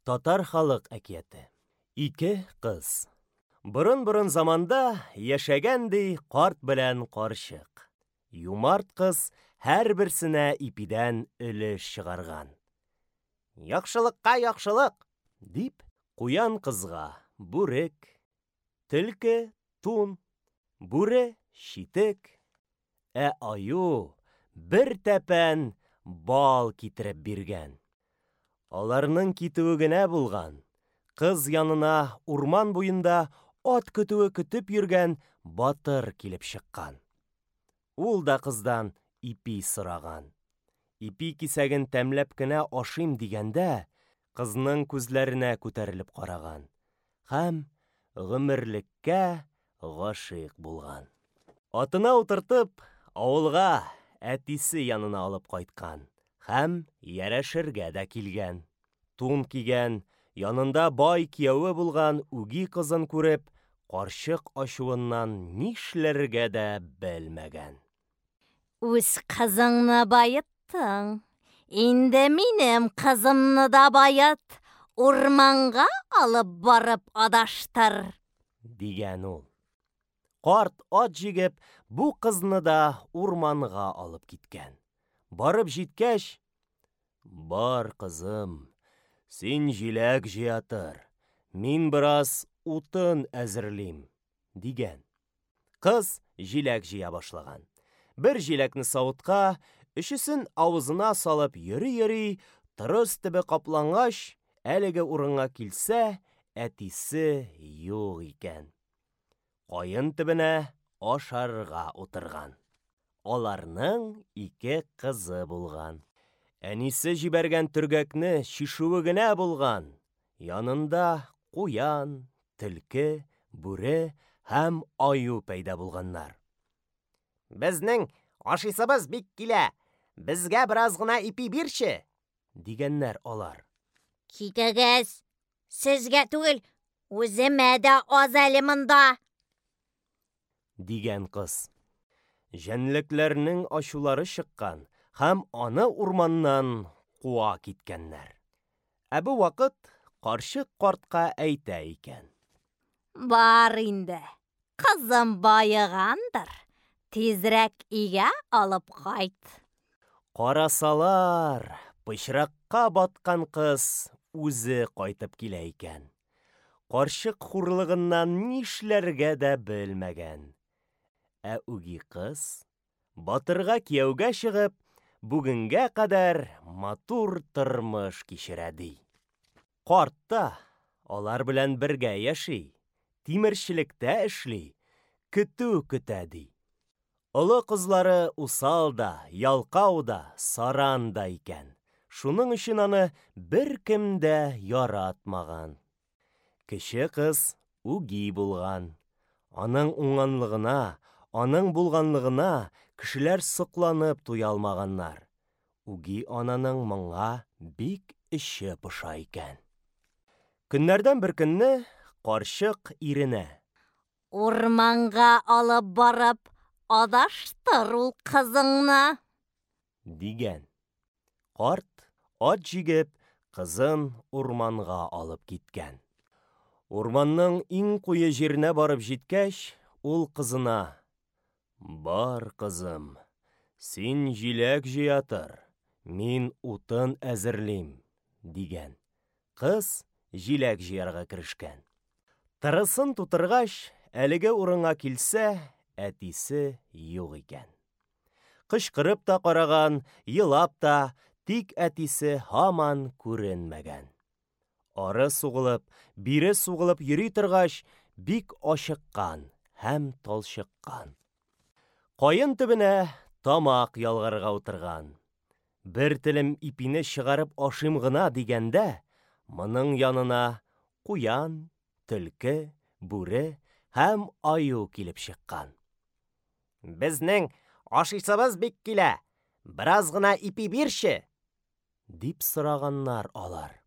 Татар халык әкияте. Ике кыз. Борын-борын заманда яшәгән ди карт белән карчык. Юмарт кыз һәрберсенә ипидән өлеш чыгарган. Яхшылыкка яхшылык, дип, куян кызга бүрек, төлке тун, бүре читек, ә аю бер тәпән бал китереп биргән. Аларның китүе генә булган, кыз янына урман буенда ат көтүе көтеп йөргән батыр килеп чыккан. Ул да кыздан ипи сораган. Ипи кисәген тәмләп кенә ашыйм дигәндә, кызның күзләренә күтәрелеп караган һәм гомерлеккә гашыйк булган. Атына утыртып, авылга әтисе янына алып кайткан һәм ярәшергә дә килгән. Тун кигән, янында бай кияве булган үги кызын күреп, карчык ачуыннан нишләргә дә белмәгән. Үз кызыңны баеттың, инде минем кызымны да бает, урманга алып барып адаштыр, дигән ул. Карт ат җигеп, бу кызны да урманга алып киткән. Барып җиткәч, Бар, кызым, син җиләк җыя тор, мин бераз утын әзерлим, дигән. Кыз җиләк җыя башлаган. Бер җиләкне савытка, өчесен авызына салып йөри-йөри, тырыс төбе каплангач, әлеге урынга килсә, әтисе юк икән. Каен төбенә ашарга утырган. Аларның ике кызы булган. Әнисе җибәргән төргәкне чишүе генә булган, янында куян, төлке, бүре һәм аю пәйда булганнар. Безнең ашыйсыбыз бик килә, безгә бераз гына ипи бирче, дигәннәр алар. Китегез, сезгә түгел, үземә дә аз әле монда. Дигән кыз. Җәнлекләрнең ачулары чыккан һәм аны урманнан куа киткәннәр. Ә бу вакыт карчык картка әйтә икән. Бар инде, кызым баегандыр, тизрәк өйгә алып кайт. Карасалар, пычракка баткан кыз үзе кайтып килә икән. Карчык хурлыгыннан нишләргә дә белмәгән. Ә үги кыз, батырга кияүгә чыгып, бүгенгә кадәр матур тормыш кичерә ди. Карт та алар белән бергә яши, тимерчелектә эшли, көтү көтә ди. Олы кызлары усал да, ялкау да, саран да икән. Шуның өчен аны беркем дә яратмаган. Кече кыз үги булган. Аның уңганлыгына, аның булганлыгына кешеләр сокланып туя алмаганнар. Үги ананың моңа бик эче поша икән. Көннәрдән бер көнне карчык иренә: Урманга алып барып адаштыр ул кызыңны, дигән. Карт ат җигеп, кызын урманга алып киткән. Урманның иң куе җиренә барып җиткәч, ул кызына: Бар, кызым, син җиләк җыя тор, мин утын әзерлим, дигән. Кыз җиләк җыярга керешкән. Тырысын тутыргач, әлеге урынга килсә, әтисе юк икән. Кычкырып та караган, елап та, тик әтисе һаман күренмәгән. Ары сугылып, бире сугылып йөри торгач, бик ачыккан һәм талчыккан. Каен төбенә тамак ялгарга утырган. Бер телем ипине чыгарып ашыйм гына дигәндә, моның янына куян, төлке, бүре һәм аю килеп чыккан. Безнең ашыйсыбыз бик килә, бераз гына ипи бирче, дип сораганнар алар.